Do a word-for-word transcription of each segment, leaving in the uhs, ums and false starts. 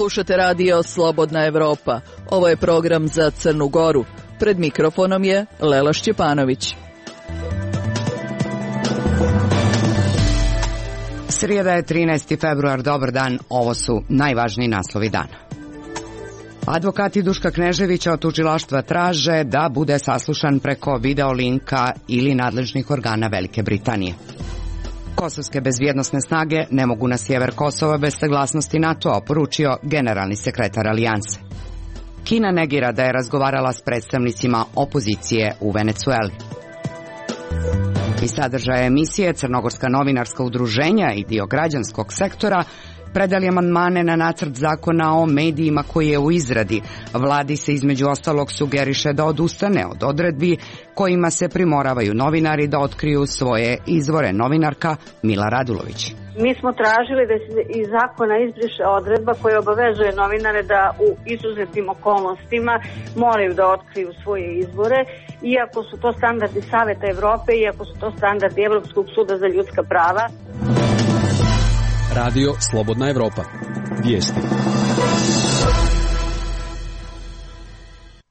Slušate radio Slobodna Evropa. Ovo je program za Crnu Goru. Pred mikrofonom je Lela Šćepanović. Srijeda je trinaesti februar, dobar dan, ovo su najvažniji naslovi dana. Advokati Duška Kneževića od tužilaštva traže da bude saslušan preko video linka ili nadležnih organa Velike Britanije. Kosovske bezbjednosne snage ne mogu na sjever Kosova bez saglasnosti NATO-a, poručio generalni sekretar Alijanse. Kina negira da je razgovarala s predstavnicima opozicije u Venecueli. Iz sadržaja emisije Crnogorska novinarska udruženja i dio građanskog sektora predali amandmane na nacrt zakona o medijima koji je u izradi. Vladi se između ostalog sugeriše da odustane od odredbi kojima se primoravaju novinari da otkriju svoje izvore. Novinarka Mila Radulović. Mi smo tražili da se iz zakona izbriše odredba koja obavezuje novinare da u izuzetnim okolnostima moraju da otkriju svoje izvore, iako su to standardi Saveta Evrope, iako su to standardi Evropskog suda za ljudska prava. Radio Slobodna Evropa. Vijesti.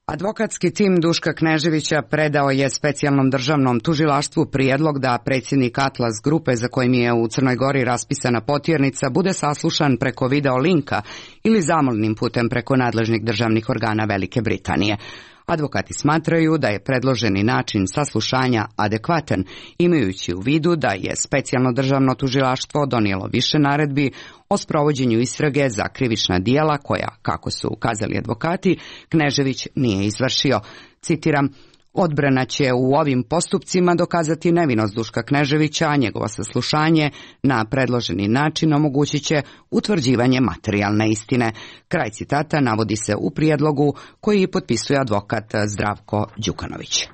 Advokatski tim Duška Kneževića predao je specijalnom državnom tužilaštvu prijedlog da predsjednik Atlas grupe, za kojim je u Crnoj Gori raspisana potjernica, bude saslušan preko video linka ili zamolnim putem preko nadležnih državnih organa Velike Britanije. Advokati smatraju da je predloženi način saslušanja adekvatan, imajući u vidu da je specijalno državno tužilaštvo donijelo više naredbi o sprovođenju istrage za krivična djela koja, kako su ukazali advokati, Knežević nije izvršio. Citiram: odbrana će u ovim postupcima dokazati nevinost Duška Kneževića, a njegovo saslušanje na predloženi način omogućit će utvrđivanje materijalne istine. Kraj citata navodi se u prijedlogu koji potpisuje advokat Zdravko Đukanović.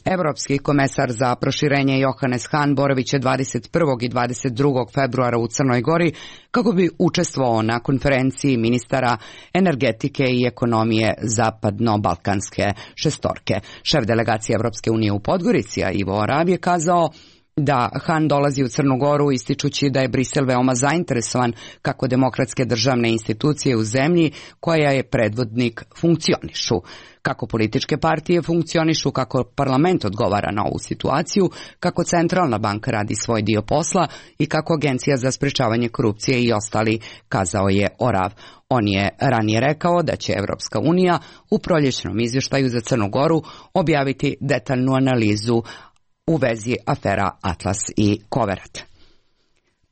Evropski komesar za proširenje Johannes Hahn boravit će dvadeset prvog i dvadeset drugog februara u Crnoj Gori kako bi učestvovao na konferenciji ministara energetike i ekonomije zapadno-balkanske šestorke. Šef delegacije Evropske unije u Podgorici, Ivo Orav, je kazao da Hahn dolazi u Crnu Goru ističući da je Brisel veoma zainteresovan kako demokratske državne institucije u zemlji koja je predvodnik funkcionišu, kako političke partije funkcionišu, kako parlament odgovara na ovu situaciju, kako centralna banka radi svoj dio posla i kako Agencija za sprečavanje korupcije i ostali, kazao je Orav. On je ranije rekao da će Evropska unija u proljećnom izvještaju za Crnu Goru objaviti detaljnu analizu u vezi afera Atlas i Koverat.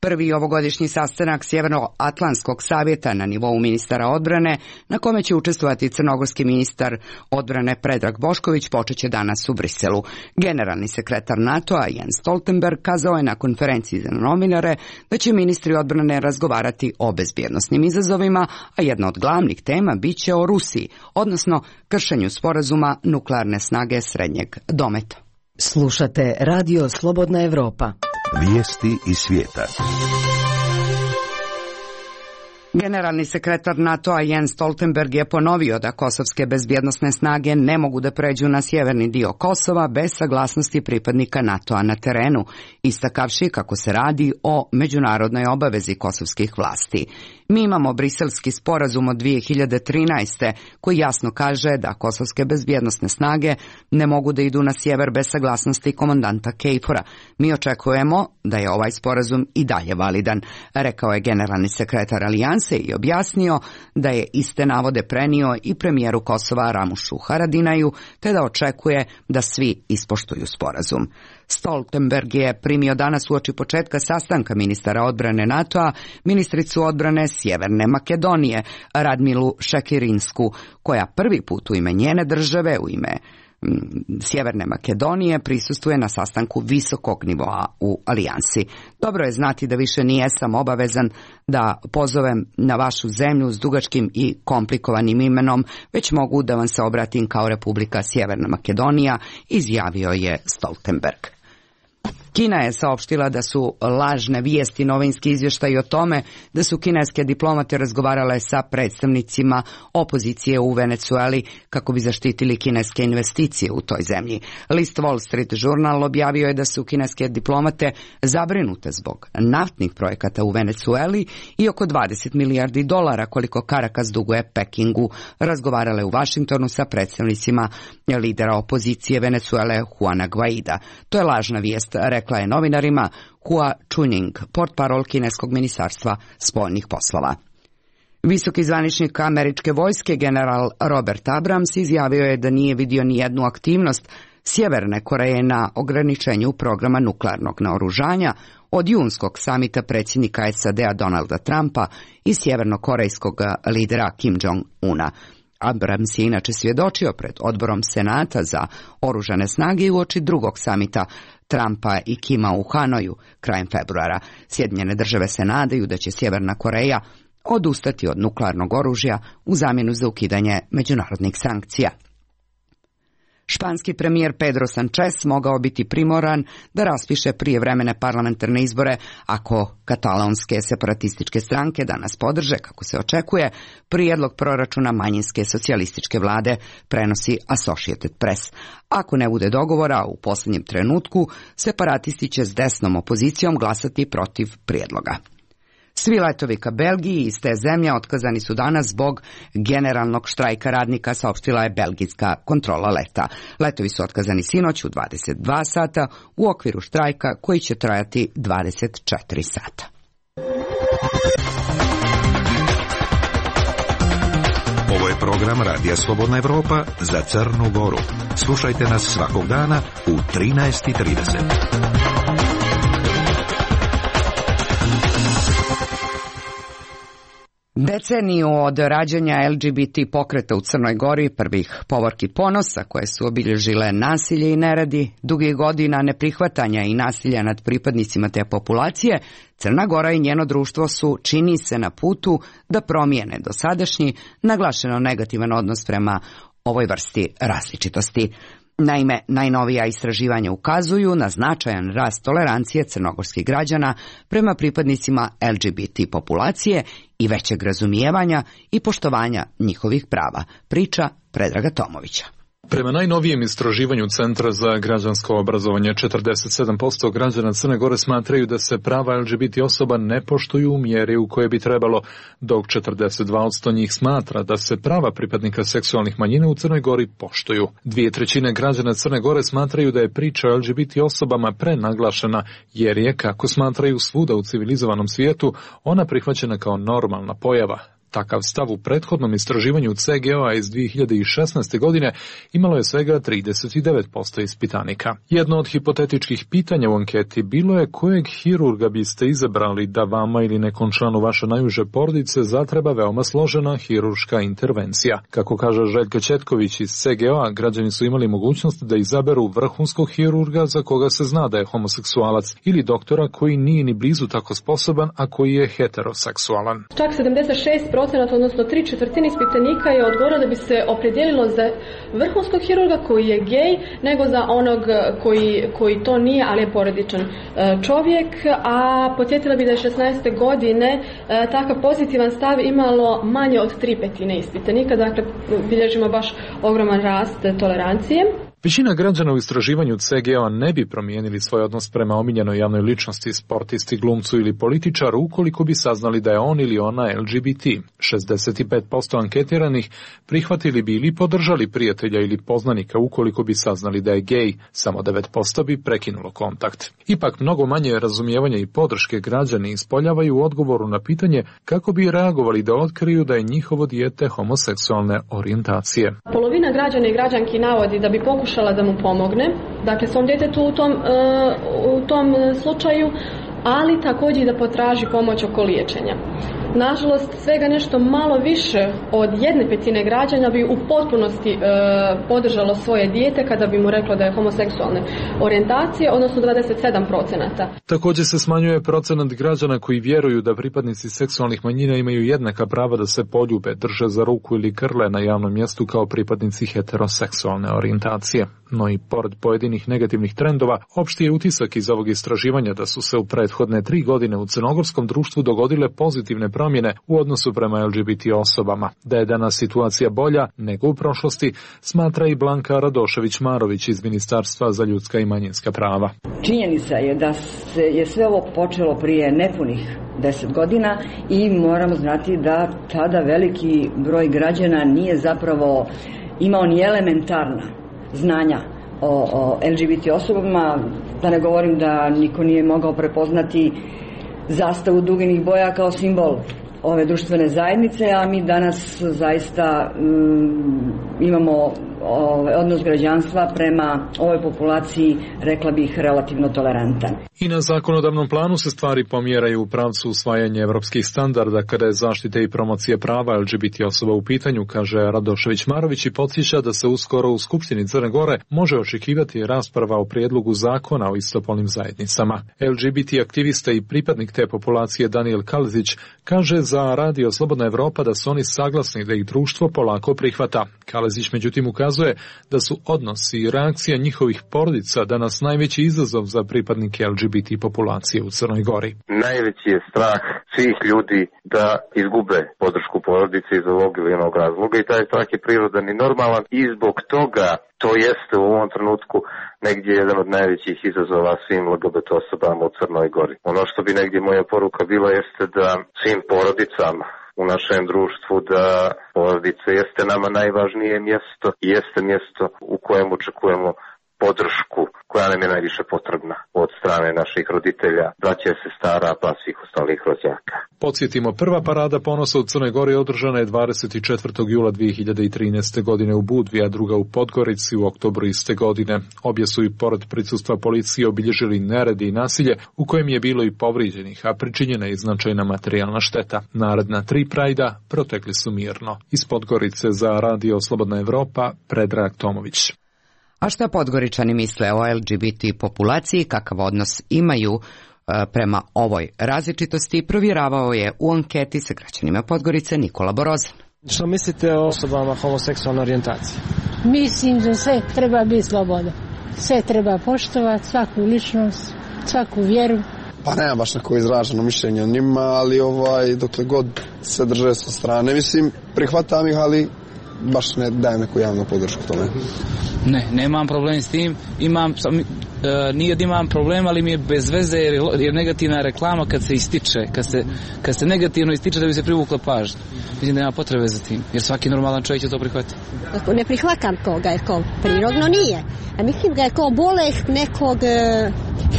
Prvi ovogodišnji sastanak Sjevernoatlantskog savjeta na nivou ministara odbrane, na kome će učestvovati crnogorski ministar odbrane Predrag Bošković, počeće danas u Briselu. Generalni sekretar NATO-a Jens Stoltenberg kazao je na konferenciji za novinare da će ministri odbrane razgovarati o bezbjednosnim izazovima, a jedna od glavnih tema bit će o Rusiji, odnosno kršenju sporazuma nuklearne snage srednjeg dometa. Slušate radio Slobodna Evropa. Vijesti iz svijeta. Generalni sekretar NATO-a Jens Stoltenberg je ponovio da kosovske bezbjednosne snage ne mogu da pređu na sjeverni dio Kosova bez saglasnosti pripadnika NATO-a na terenu, istakavši kako se radi o međunarodnoj obavezi kosovskih vlasti. Mi imamo briselski sporazum od dvije hiljade trinaeste koji jasno kaže da kosovske bezbjednosne snage ne mogu da idu na sjever bez saglasnosti komandanta Kejfora. Mi očekujemo da je ovaj sporazum i dalje validan, rekao je generalni sekretar Alijanse i objasnio da je iste navode prenio i premijeru Kosova Ramušu Haradinaju, te da očekuje da svi ispoštuju sporazum. Stoltenberg je primio danas uoči početka sastanka ministara odbrane NATO-a ministricu odbrane Sjeverne Makedonije Radmilu Šekirinsku, koja prvi put u ime njene države, u ime Sjeverne Makedonije, prisustvuje na sastanku visokog nivoa u Alijansi. Dobro je znati da više nijesam obavezan da pozovem na vašu zemlju s dugačkim i komplikovanim imenom, već mogu da vam se obratim kao Republika Sjeverna Makedonija, izjavio je Stoltenberg. Kina je saopštila da su lažne vijesti novinski izvještaji o tome da su kineske diplomate razgovarale sa predstavnicima opozicije u Venecueli kako bi zaštitili kineske investicije u toj zemlji. List Wall Street Journal objavio je da su kineske diplomate zabrinute zbog naftnih projekata u Venecueli i oko dvadeset milijardi dolara koliko Caracas duguje Pekingu razgovarale u Vašingtonu sa predstavnicima lidera opozicije Venecuele Juana Guaida. To je lažna vijest, rekla je novinarima Hua Chunying, portparol kineskog ministarstva spoljnih poslova. Visoki zvaničnik američke vojske general Robert Abrams izjavio je da nije vidio ni jednu aktivnost Sjeverne Koreje na ograničenju programa nuklearnog naoružanja od junskog samita predsjednika S A D-a Donalda Trumpa i sjevernokorejskog lidera Kim Jong-una. Abrams je inače svjedočio pred odborom Senata za oružane snage uoči drugog samita Trumpa i Kima u Hanoju krajem februara. Sjedinjene države se nadaju da će Sjeverna Koreja odustati od nuklearnog oružja u zamjenu za ukidanje međunarodnih sankcija. Španski premijer Pedro Sanchez mogao biti primoran da raspiše prijevremene parlamentarne izbore ako katalonske separatističke stranke danas podrže, kako se očekuje, prijedlog proračuna manjinske socijalističke vlade, prenosi Associated Press. Ako ne bude dogovora u posljednjem trenutku, separatisti će s desnom opozicijom glasati protiv prijedloga. Svi letovi ka Belgiji iz te zemlje otkazani su danas zbog generalnog štrajka radnika, saopštila je belgijska kontrola leta. Letovi su otkazani sinoć u dvadeset dva sata u okviru štrajka koji će trajati dvadeset četiri sata. Ovo je program Radija Slobodna Evropa za Crnu Goru. Slušajte nas svakog dana u trinaest i trideset. Deceniju od rađanja L G B T pokreta u Crnoj Gori, prvih povorki ponosa koje su obilježile nasilje i neredi, dugih godina neprihvatanja i nasilja nad pripadnicima te populacije, Crna Gora i njeno društvo su, čini se, na putu da promijene dosadašnji, naglašeno negativan odnos prema ovoj vrsti različitosti. Naime, najnovija istraživanja ukazuju na značajan rast tolerancije crnogorskih građana prema pripadnicima L G B T populacije i većeg razumijevanja i poštovanja njihovih prava, priča Predraga Tomovića. Prema najnovijem istraživanju Centra za građansko obrazovanje, četrdeset sedam posto građana Crne Gore smatraju da se prava L G B T osoba ne poštuju u mjeri u kojoj bi trebalo, dok četrdeset dva posto njih smatra da se prava pripadnika seksualnih manjina u Crnoj Gori poštuju. Dvije trećine građana Crne Gore smatraju da je priča o L G B T osobama prenaglašena, jer je, kako smatraju svuda u civilizovanom svijetu, ona prihvaćena kao normalna pojava. Takav stav u prethodnom istraživanju C G O-a iz dvije hiljade šesnaeste. godine imalo je svega trideset devet posto ispitanika. Jedno od hipotetičkih pitanja u anketi bilo je kojeg hirurga biste izabrali da vama ili nekom članu vaše najuže porodice zatreba veoma složena hirurška intervencija. Kako kaže Željka Četković iz C G O-a, građani su imali mogućnost da izaberu vrhunskog hirurga za koga se zna da je homoseksualac ili doktora koji nije ni blizu tako sposoban, a koji je heteroseksualan. Čak sedamdeset šest procenata, odnosno tri četvrtine ispitanika je odgovorilo da bi se opredijelilo za vrhunskog hirurga koji je gej, nego za onog koji, koji to nije, ali je porodičan čovjek. A podsjetila bi da je šesnaeste. godine takav pozitivan stav imalo manje od tri petine ispitanika, dakle bilježimo baš ogroman rast tolerancije. Većina građana u istraživanju C G O-a ne bi promijenili svoj odnos prema omiljenoj javnoj ličnosti, sportisti, glumcu ili političaru ukoliko bi saznali da je on ili ona L G B T. šezdeset pet posto anketiranih prihvatili bi ili podržali prijatelja ili poznanika ukoliko bi saznali da je gej, samo devet posto bi prekinulo kontakt. Ipak mnogo manje razumijevanja i podrške građani ispoljavaju u odgovoru na pitanje kako bi reagovali da otkriju da je njihovo dijete homoseksualne orijentacije. Polovina građana i građanki navodi da bi pokušali da mu pomogne, dakle svom djetetu u tom, u tom slučaju, ali također i da potraži pomoć oko liječenja. Nažalost, svega nešto malo više od jedne petine građana bi u potpunosti e, podržalo svoje dijete kada bi mu reklo da je homoseksualne orijentacije, odnosno dvadeset sedam procenata. Također se smanjuje procenat građana koji vjeruju da pripadnici seksualnih manjina imaju jednaka prava da se poljube, drže za ruku ili krle na javnom mjestu kao pripadnici heteroseksualne orijentacije. No i pored pojedinih negativnih trendova, opšti je utisak iz ovog istraživanja da su se u prethodne tri godine u crnogorskom društvu dogodile pozitivne promjene u odnosu prema L G B T osobama. Da je danas situacija bolja nego u prošlosti, smatra i Blanka Radošević-Marović iz Ministarstva za ljudska i manjinska prava. Činjenica je da se je sve ovo počelo prije nepunih deset godina i moramo znati da tada veliki broj građana nije zapravo imao ni elementarna znanja o, o L G B T osobama, da ne govorim da niko nije mogao prepoznati zastavu duginih boja kao simbol ove društvene zajednice, a mi danas zaista mm, imamo ovaj odnos građanstva prema ovoj populaciji, rekla bih, relativno tolerantan. I na zakonodavnom planu se stvari pomjeraju u pravcu usvajanja evropskih standarda kada je zaštite i promocije prava L G B T osoba u pitanju, kaže Radošević-Marović i podsjeća da se uskoro u Skupštini Crne Gore može očekivati rasprava o prijedlogu zakona o istopolnim zajednicama. L G B T aktivista i pripadnik te populacije Daniel Kalezić kaže za Radio Slobodna Evropa da su oni saglasni da ih društvo polako prihvata. Kalezić međutim ukazuje da su odnosi i reakcija njihovih porodica danas najveći izazov za pripadnike L G B T populacije u Crnoj Gori. Najveći je strah svih ljudi da izgube podršku porodice iz ovog ili onog razloga i taj strah je prirodan i normalan i zbog toga to jeste u ovom trenutku negdje jedan od najvećih izazova svim L G B T osobama u Crnoj Gori. Ono što bi negdje moja poruka bila jeste da svim porodicama u našem društvu, da porodica jeste nama najvažnije mjesto i jeste mjesto u kojem očekujemo podršku koja nam je najviše potrebna od strane naših roditelja, braće, sestara, pa svih ostalih rođaka. Podsjetimo, prva parada ponosa u Crnoj Gori održana je dvadeset četvrtog jula dvije hiljade trinaeste. godine u Budvi, a druga u Podgorici u oktobru iste godine. Obje su i pored prisustva policije obilježili neredi i nasilje u kojem je bilo i povrijeđenih, a pričinjena je značajna materijalna šteta. Naredna tri prajda protekli su mirno. Iz Podgorice za Radio Slobodna Evropa, Predrag Tomović. A šta Podgoričani misle o L G B T populaciji, kakav odnos imaju prema ovoj različitosti, provjeravao je u anketi sa građanima Podgorice Nikola Borozan. Što mislite o osobama homoseksualne orijentacije? Mislim da sve treba biti sloboda. Sve treba poštovati, svaku ličnost, svaku vjeru. Pa nema baš neko izraženo mišljenje o njima, ali ovaj, dokle god se drže sa strane, mislim, prihvatam ih, ali baš ne dajem neku javnu podršku tome. Ne, nemam problem s tim, imam, e, nije da imam problem, ali mi je bez veze jer je negativna reklama kad se ističe, kad se, kad se negativno ističe da bi se privukla pažnja. Mislim da nema potrebe za tim, jer svaki normalan čovjek će to prihvatiti. Ne prihvatam toga, jer ko prirodno nije. A mislim da je ko bolest nekog e,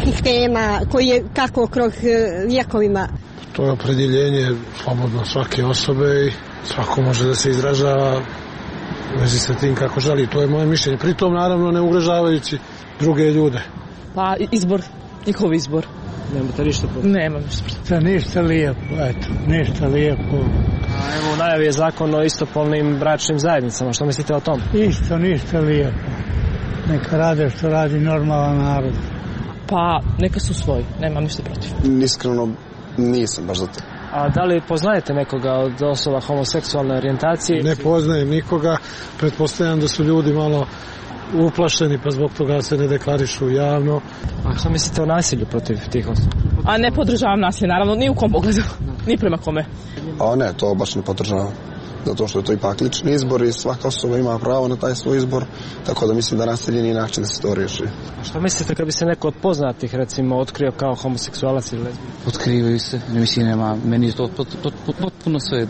sistema koji je kako kroz e, vjekovima. To je opredjeljenje slobodno svake osobe i svako može da se izražava u vezi sa tim kako želi. To je moje mišljenje. Pritom naravno ne ugrožavajući druge ljude. Pa izbor, njihov izbor. Nemate ništa protiv? Nemam ništa protiv. To ništa lijepo, eto, ništa lijepo. A evo u najavi je zakon o istopolnim bračnim zajednicama. Što mislite o tom? Isto, ništa lijepo. Neka rade što radi normalan narod. Pa neka su svoji, nemam ništa protiv. Iskreno nisam baš za to. A da li poznajete nekoga od osoba homoseksualne orijentacije? Ne poznajem nikoga, pretpostavljam da su ljudi malo uplašeni pa zbog toga se ne deklarišu javno. A što mislite o nasilju protiv tih osoba? A ne podržavam nasilje, naravno, ni u kom pogledu, ni prema kome. A ne, to baš ne podržavam. Zato što je to ipak lični izbor i svaka osoba ima pravo na taj svoj izbor, tako da mislim da nasilje nije način da se to riješi. A što mislite kad bi se neko od poznatih recimo otkrio kao homoseksualac ili lezbijanac? Otkrivaju se, ne mislim nema, meni je to potpuno sve.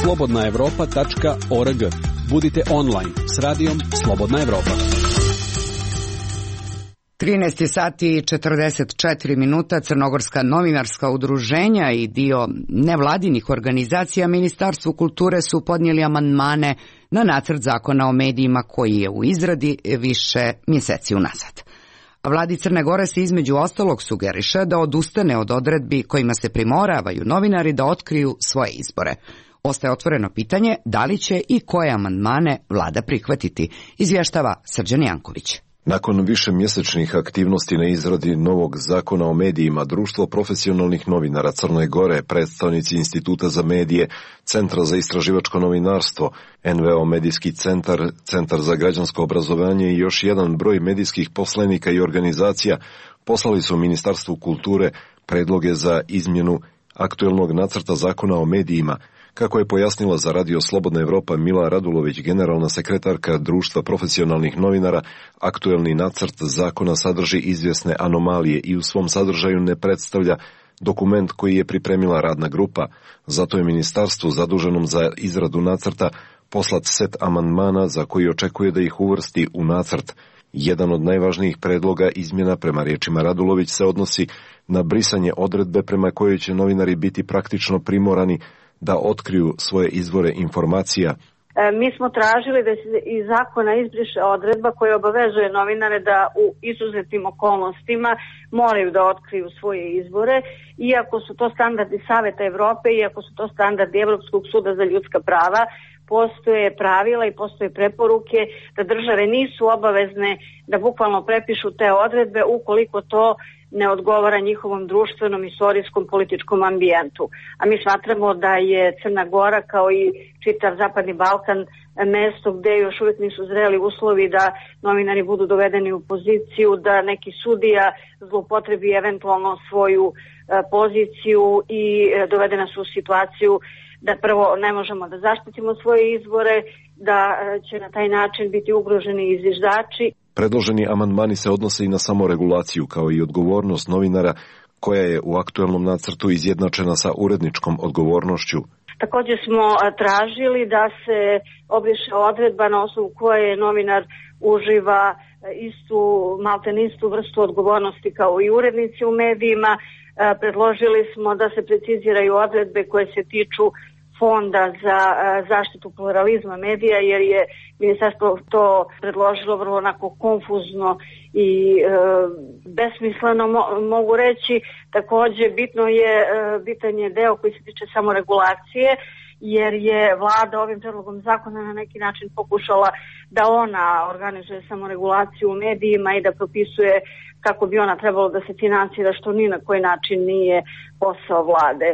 slobodna evropa tačka org. Budite online s radijom Slobodna Evropa. trinaest sati i četrdeset četiri minuta. Crnogorska novinarska udruženja i dio nevladinih organizacija Ministarstvu kulture su podnijeli amandmane na nacrt zakona o medijima koji je u izradi više mjeseci unazad. Vladi Crne Gore se između ostalog sugeriše da odustane od odredbi kojima se primoravaju novinari da otkriju svoje izbore. Ostaje otvoreno pitanje da li će i koje amandmane vlada prihvatiti, izvještava Srđan Janković. Nakon višemjesečnih aktivnosti na izradi novog zakona o medijima, Društvo profesionalnih novinara Crne Gore, predstavnici Instituta za medije, Centra za istraživačko novinarstvo, en ve o Medijski centar, Centar za građansko obrazovanje i još jedan broj medijskih poslanika i organizacija poslali su Ministarstvu kulture predloge za izmjenu aktuelnog nacrta zakona o medijima. Kako je pojasnila za Radio Slobodna Evropa Mila Radulović, generalna sekretarka Društva profesionalnih novinara, aktuelni nacrt zakona sadrži izvjesne anomalije i u svom sadržaju ne predstavlja dokument koji je pripremila radna grupa. Zato je ministarstvu zaduženom za izradu nacrta poslat set amandmana za koji očekuje da ih uvrsti u nacrt. Jedan od najvažnijih predloga izmjena, prema riječima Radulović, se odnosi na brisanje odredbe prema kojoj će novinari biti praktično primorani da otkriju svoje izvore informacija. Mi smo tražili da se iz zakona izbriše odredba koja obavezuje novinare da u izuzetnim okolnostima moraju da otkriju svoje izvore, iako su to standardi Saveta Evrope, iako su to standardi Evropskog suda za ljudska prava, postoje pravila i postoje preporuke da države nisu obavezne da bukvalno prepišu te odredbe ukoliko to ne odgovara njihovom društvenom, istorijskom, političkom ambijentu. A mi smatramo da je Crna Gora kao i čitav Zapadni Balkan mesto gde još uvijek nisu zreli uslovi da novinari budu dovedeni u poziciju, da neki sudija zloupotrebi eventualno svoju poziciju i dovede nas u situaciju da prvo ne možemo da zaštitimo svoje izvore, da će na taj način biti ugroženi i zviždači. Predloženi amandmani se odnose i na samoregulaciju, kao i odgovornost novinara, koja je u aktuelnom nacrtu izjednačena sa uredničkom odgovornošću. Također smo tražili da se obriše odredba na osnovu koje novinar uživa istu, malten istu vrstu odgovornosti kao i urednici u medijima. Predložili smo da se preciziraju odredbe koje se tiču Fonda za zaštitu pluralizma medija, jer je ministarstvo to predložilo vrlo onako konfuzno i e, besmisleno mo- mogu reći. Također bitno je, e, bitan je deo koji se tiče samoregulacije, jer je vlada ovim predlogom zakona na neki način pokušala da ona organizuje samoregulaciju u medijima i da propisuje kako bi ona trebalo da se financira, što ni na koji način nije posao vlade.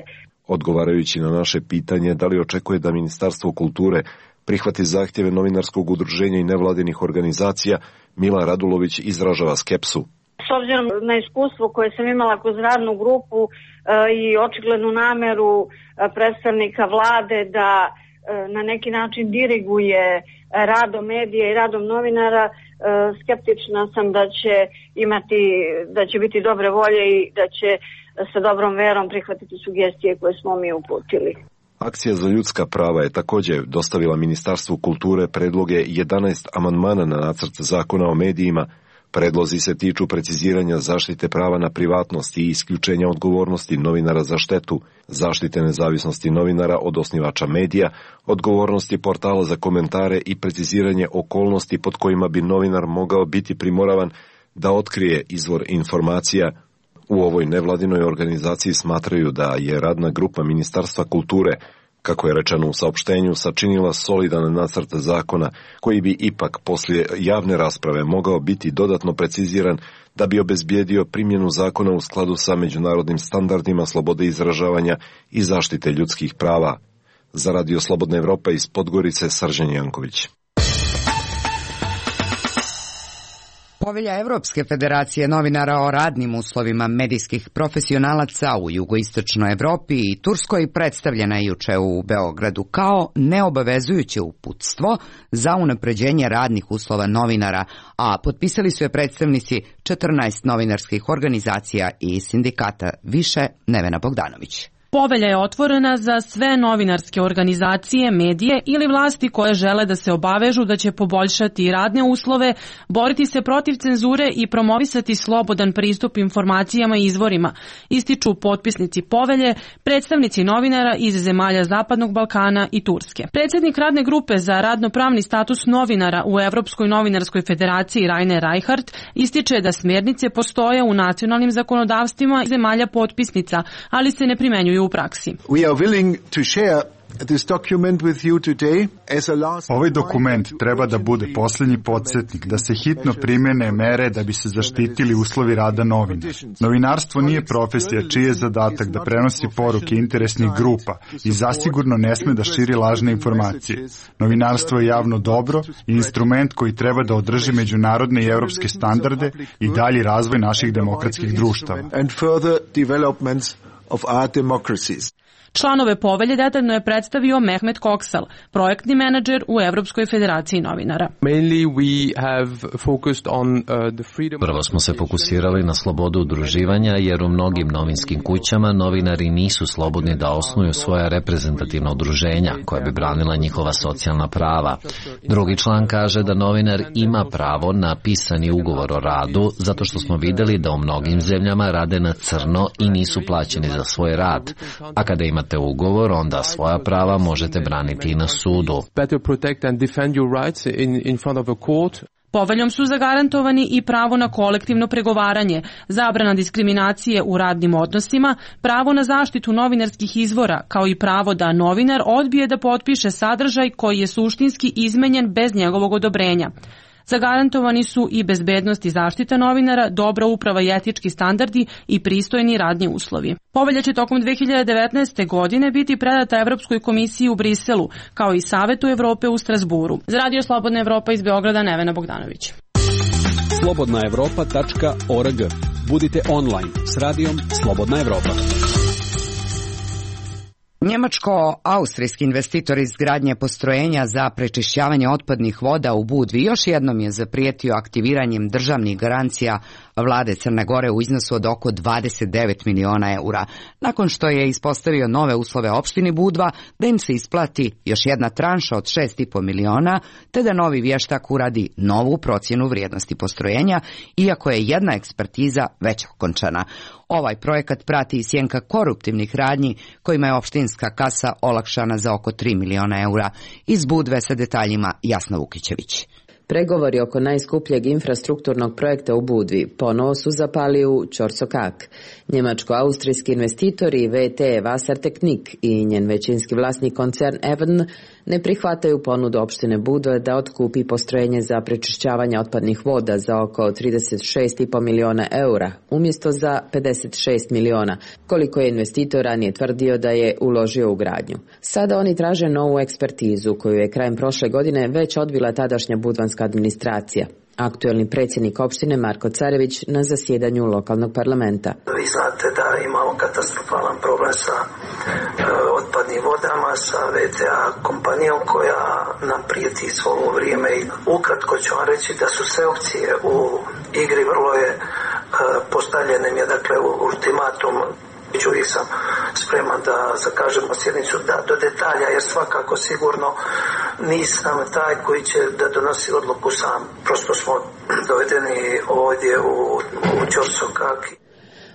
Odgovarajući na naše pitanje da li očekuje da Ministarstvo kulture prihvati zahtjeve novinarskog udruženja i nevladinih organizacija, Mila Radulović izražava skepsu. S obzirom na iskustvo koje sam imala kroz radnu grupu e, i očiglednu nameru e, predstavnika vlade da e, na neki način diriguje radom medija i radom novinara, e, skeptična sam da će imati, da će biti dobre volje i da će sa dobrom verom prihvatiti sugestije koje smo mi uputili. Akcija za ljudska prava je također dostavila Ministarstvu kulture predloge jedanaest amandmana na nacrt zakona o medijima. Predlozi se tiču preciziranja zaštite prava na privatnost i isključenja odgovornosti novinara za štetu, zaštite nezavisnosti novinara od osnivača medija, odgovornosti portala za komentare i preciziranje okolnosti pod kojima bi novinar mogao biti primoravan da otkrije izvor informacija. U ovoj nevladinoj organizaciji smatraju da je radna grupa Ministarstva kulture, kako je rečeno u saopštenju, sačinila solidan nacrt zakona koji bi ipak poslije javne rasprave mogao biti dodatno preciziran da bi obezbijedio primjenu zakona u skladu sa međunarodnim standardima slobode izražavanja i zaštite ljudskih prava. Za Radio Slobodna Evropa iz Podgorice, Srđan Janković. Povelja Evropske federacije novinara o radnim uslovima medijskih profesionalaca u jugoistočnoj Evropi i Turskoj predstavljena je juče u Beogradu kao neobavezujuće uputstvo za unapređenje radnih uslova novinara, a potpisali su je predstavnici četrnaest novinarskih organizacija i sindikata. Više Nevena Bogdanović. Povelja je otvorena za sve novinarske organizacije, medije ili vlasti koje žele da se obavežu da će poboljšati radne uslove, boriti se protiv cenzure i promovisati slobodan pristup informacijama i izvorima, ističu potpisnici povelje, predstavnici novinara iz zemalja Zapadnog Balkana i Turske. Predsjednik radne grupe za radnopravni status novinara u Evropskoj novinarskoj federaciji Rainer Reichart ističe da smjernice postoje u nacionalnim zakonodavstvima zemalja potpisnica, ali se ne primenjuju u praksi. We are willing to share this document with you today as a last... Ovaj dokument treba da bude posljednji podsjetnik da se hitno primjene mere da bi se zaštitili uslovi rada novinara. Novinarstvo nije profesija čiji je zadatak da prenosi poruke interesnih grupa i zasigurno ne sme da širi lažne informacije. Novinarstvo je javno dobro i instrument koji treba da održi međunarodne i evropske standarde i dalji razvoj naših demokratskih društava. And further developments of our democracies. Članove povelje detaljno je predstavio Mehmet Koksal, projektni menadžer u Evropskoj federaciji novinara. Prvo smo se fokusirali na slobodu udruživanja jer u mnogim novinskim kućama novinari nisu slobodni da osnuju svoja reprezentativna udruženja koja bi branila njihova socijalna prava. Drugi član kaže da novinar ima pravo na pisani ugovor o radu zato što smo vidjeli da u mnogim zemljama rade na crno i nisu plaćeni za svoj rad, a kada ima imate ugovor, onda svoja prava možete braniti i na sudu. Poveljom su zagarantovani i pravo na kolektivno pregovaranje, zabrana diskriminacije u radnim odnosima, pravo na zaštitu novinarskih izvora, kao i pravo da novinar odbije da potpiše sadržaj koji je suštinski izmenjen bez njegovog odobrenja. Zagarantovani su i bezbednost i zaštita novinara, dobra uprava i etički standardi i pristojni radni uslovi. Povelja će tokom dve hiljade devetnaeste. godine biti predata Evropskoj komisiji u Briselu, kao i Savetu Evrope u Strasburu. Za Radio Slobodna Evropa iz Beograda, Nevena Bogdanović. slobodna evropa tačka org. Budite online s radijom Slobodna Evropa. Njemačko-austrijski investitor izgradnje postrojenja za prečišćavanje otpadnih voda u Budvi još jednom je zaprijetio aktiviranjem državnih garancija vlade Crne Gore u iznosu od oko dvadeset devet miliona eura, nakon što je ispostavio nove uslove opštini Budva da im se isplati još jedna tranša od šest i po miliona, te da novi vještak uradi novu procjenu vrijednosti postrojenja, iako je jedna ekspertiza već okončana. Ovaj projekat prati i sjenka koruptivnih radnji kojima je opštinska kasa olakšana za oko tri miliona eura. Iz Budve sa detaljima Jasna Vukićević. Pregovori oko najskupljeg infrastrukturnog projekta u Budvi ponovo su zapali u Ćorsokak. Njemačko-austrijski investitori V T Wassertechnik i njen većinski vlasnik koncern Evn ne prihvataju ponudu opštine Budve da otkupi postrojenje za prečišćavanje otpadnih voda za oko trideset šest i po miliona eura, umjesto za pedeset šest miliona, koliko je investitor ranije tvrdio da je uložio u gradnju. Sada oni traže novu ekspertizu koju je krajem prošle godine već odbila tadašnja budvanska administracija. Aktuelni predsjednik opštine Marko Carević na zasjedanju lokalnog parlamenta. Vi znate da imamo katastrofalan problem sa e, otpadnim vodama, sa V T A kompanijom koja nam prijeti svo ovo vrijeme. I ukratko ću vam reći da su sve opcije u igri, vrlo je e, postavljen je dakle ultimatum. Uvijek sam spreman da zakažemo sjednicu da, do detalja, jer svakako sigurno nisam taj koji će da donosi odluku sam. Prosto smo dovedeni ovdje u, u Ćorsokak.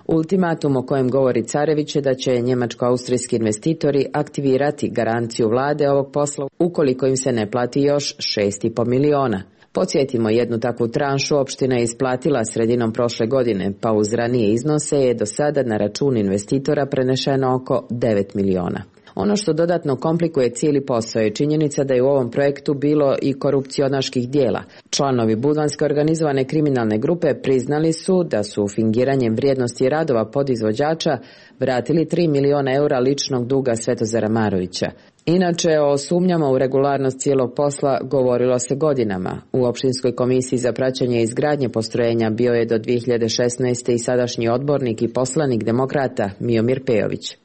Ultimatum o kojem govori Carević je da će njemačko-austrijski investitori aktivirati garanciju vlade ovog posla ukoliko im se ne plati još šest i po miliona. Podsjetimo, jednu takvu tranšu opština je isplatila sredinom prošle godine, pa uz ranije iznose je do sada na račun investitora prenešeno oko devet miliona. Ono što dodatno komplikuje cijeli posao je činjenica da je u ovom projektu bilo i korupcionaških dijela. Članovi budvanske organizovane kriminalne grupe priznali su da su fingiranjem vrijednosti radova podizvođača vratili tri miliona eura ličnog duga Svetozara Marovića. Inače, o sumnjama u regularnost cijelog posla govorilo se godinama. U opštinskoj komisiji za praćenje izgradnje postrojenja bio je do dvije hiljade šesnaeste. i sadašnji odbornik i poslanik demokrata Miomir Pejović.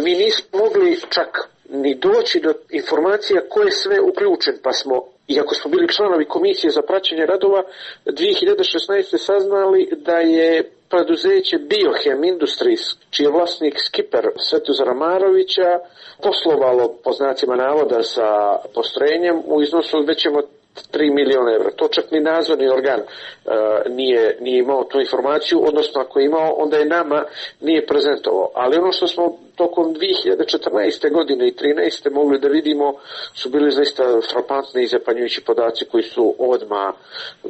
Mi nismo mogli čak ni doći do informacija ko je sve uključen, pa smo iako smo bili članovi komisije za praćenje radova, dvije hiljade šesnaeste. saznali da je preduzeće Biohem Industries, čiji je vlasnik Skipper Svetozara Marovića, poslovalo po znacima navoda sa postrojenjem u iznosu većem od tri miliona evra. To čak ni nadzorni organ uh, nije, nije imao tu informaciju, odnosno ako je imao, onda je nama nije prezentovao. Ali ono što smo tokom dvije hiljade četrnaeste. godine i trinaeste. mogli da vidimo su bili zaista frapantni i zapanjujući podaci koji su odmah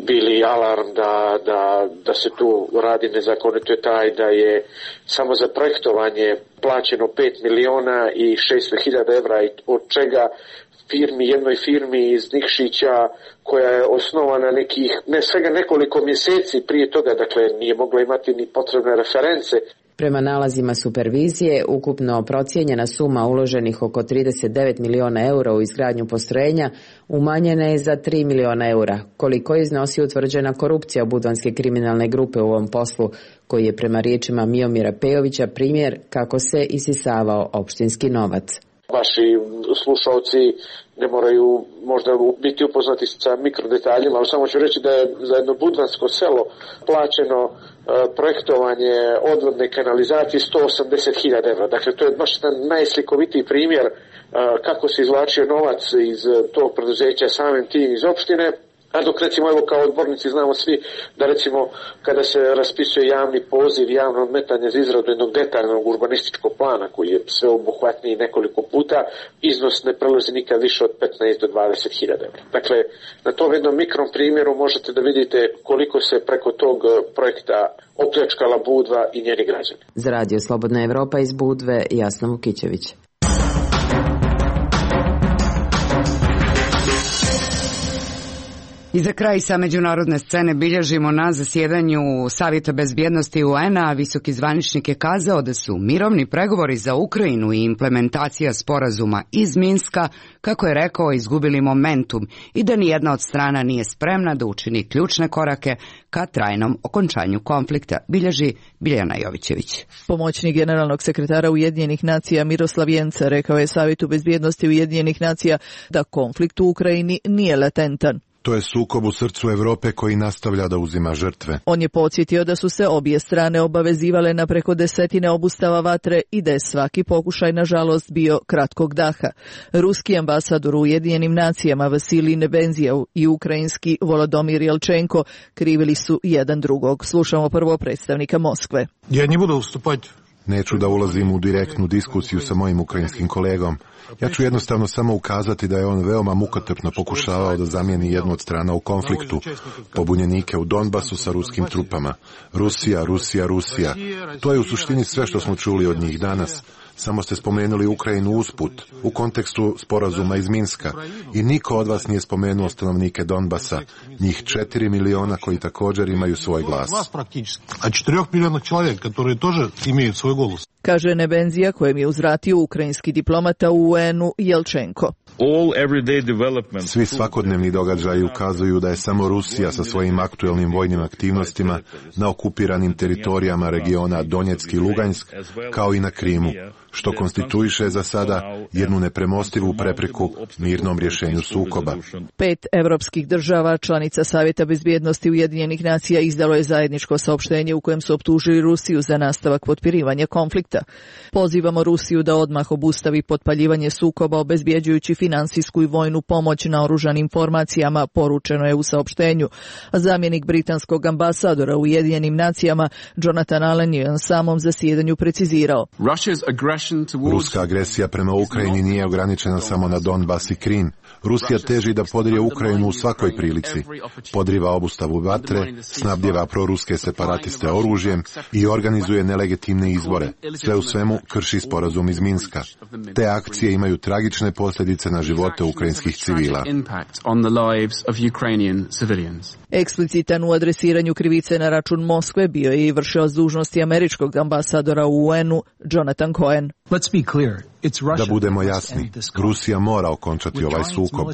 bili alarm da, da, da se tu radi nezakonito, je taj da je samo za projektovanje plaćeno pet miliona i šesto hiljada evra, od čega firmi, jednoj firmi iz Nikšića koja je osnovana nekih, ne svega nekoliko mjeseci prije toga, dakle nije mogla imati ni potrebne reference. Prema nalazima supervizije, ukupno procijenjena suma uloženih oko trideset devet miliona eura u izgradnju postrojenja umanjena je za tri miliona eura, koliko iznosi utvrđena korupcija budvanske kriminalne grupe u ovom poslu, koji je prema riječima Miomira Pejovića primjer kako se isisavao opštinski novac. Vaši slušalci ne moraju možda biti upoznati sa mikrodetaljima, ali samo ću reći da je za jedno budvansko selo plaćeno uh, projektovanje odvodne kanalizacije sto osamdeset hiljada evra. Dakle, to je baš jedan najslikovitiji primjer uh, kako se izvlačio novac iz uh, tog preduzeća, samim tim iz opštine. A dok recimo, evo kao odbornici znamo svi da recimo kada se raspisuje javni poziv, javno odmetanje za izradu jednog detaljnog urbanističkog plana koji je sveobuhvatniji nekoliko puta, iznos ne prelazi nikad više od petnaest do dvadeset hiljada evra. Dakle, na tom jednom mikrom primjeru možete da vidite koliko se preko tog projekta opljačkala Budva i njeni građani. Za Radio Slobodna Evropa iz Budve, Jasna Vukićević. I za kraj sa međunarodne scene bilježimo na zasjedanju Savjeta bezbjednosti U N-a. Visoki zvaničnik je kazao da su mirovni pregovori za Ukrajinu i implementacija sporazuma iz Minska, kako je rekao, izgubili momentum i da nijedna od strana nije spremna da učini ključne korake ka trajnom okončanju konflikta, bilježi Biljana Jovićević. Pomoćnik generalnog sekretara Ujedinjenih nacija Miroslav Jenca rekao je Savjetu bezbjednosti Ujedinjenih nacija da konflikt u Ukrajini nije latentan. To je sukob u srcu Evrope koji nastavlja da uzima žrtve. On je podsjetio da su se obje strane obavezivale na preko desetine obustava vatre i da je svaki pokušaj, nažalost, bio kratkog daha. Ruski ambasador u Ujedinjenim nacijama Vasilij Nebenzijev i ukrajinski Volodomir Jelčenko krivili su jedan drugog. Slušamo prvo predstavnika Moskve. Ja ne budu ustupati. Neću da ulazim u direktnu diskusiju sa mojim ukrajinskim kolegom. Ja ću jednostavno samo ukazati da je on veoma mukotrpno pokušavao da zamijeni jednu od strana u konfliktu, pobunjenike u Donbasu sa ruskim trupama. Rusija, Rusija, Rusija. To je u suštini sve što smo čuli od njih danas. Samo ste spomenuli Ukrajinu usput, u kontekstu sporazuma iz Minska. I niko od vas nije spomenuo stanovnike Donbasa, njih četiri miliona koji također imaju svoj glas. A četiri miliona čovjeka, koji također imaju svoj glas. Kaže Nebenzija, kojem je uzvratio ukrajinski diplomata u U N-u Jelčenko. Svi svakodnevni događaji ukazuju da je samo Rusija sa svojim aktuelnim vojnim aktivnostima na okupiranim teritorijama regiona Donjeck i Lugansk, kao i na Krimu, što konstituiše za sada jednu nepremostivu prepreku mirnom rješenju sukoba. Pet evropskih država, članica Savjeta bezbjednosti Ujedinjenih nacija, izdalo je zajedničko saopštenje u kojem su optužili Rusiju za nastavak potpirivanja konflikta. Pozivamo Rusiju da odmah obustavi potpaljivanje sukoba, obezbjeđujući finansijsku i vojnu pomoć na oružanim formacijama, poručeno je u saopštenju. Zamjenik britanskog ambasadora u Ujedinjenim nacijama Jonathan Allen je na samom zasjedanju precizirao: Ruska agresija prema Ukrajini nije ograničena samo na Donbas i Krim. Rusija teži da podrije Ukrajinu u svakoj prilici. Podriva obustavu vatre, snabdjeva proruske separatiste oružjem i organizuje nelegitimne izbore. Sve u svemu krši sporazum iz Minska. Te akcije imaju tragične posljedice na živote ukrajinskih civila. Eksplicitan u adresiranju krivice na račun Moskve bio je i vršilac dužnosti američkog ambasadora u U N-u Jonathan Cohen. Da budemo jasni, Rusija mora okončati ovaj sukob.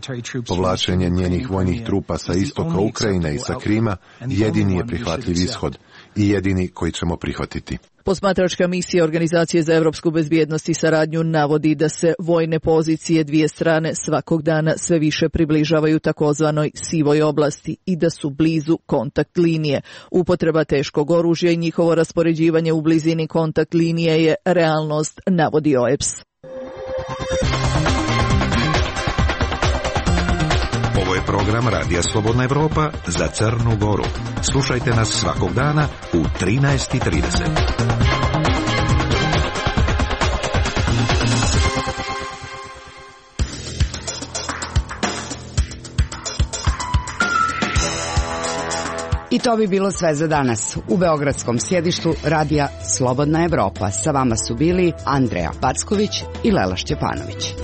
Povlačenje njenih vojnih trupa sa istoka Ukrajine i sa Krima jedini je prihvatljiv ishod. i jedini koji ćemo prihvatiti. Posmatračka misija Organizacije za evropsku bezbjednost i saradnju navodi da se vojne pozicije dvije strane svakog dana sve više približavaju takozvanoj sivoj oblasti i da su blizu kontakt linije. Upotreba teškog oružja i njihovo raspoređivanje u blizini kontakt linije je realnost, navodi O E P S. Ovo je program Radija Slobodna Evropa za Crnu Goru. Slušajte nas svakog dana u trinaest i trideset. I to bi bilo sve za danas. U beogradskom sjedištu Radija Slobodna Evropa sa vama su bili Andreja Packović i Lela Šćepanović.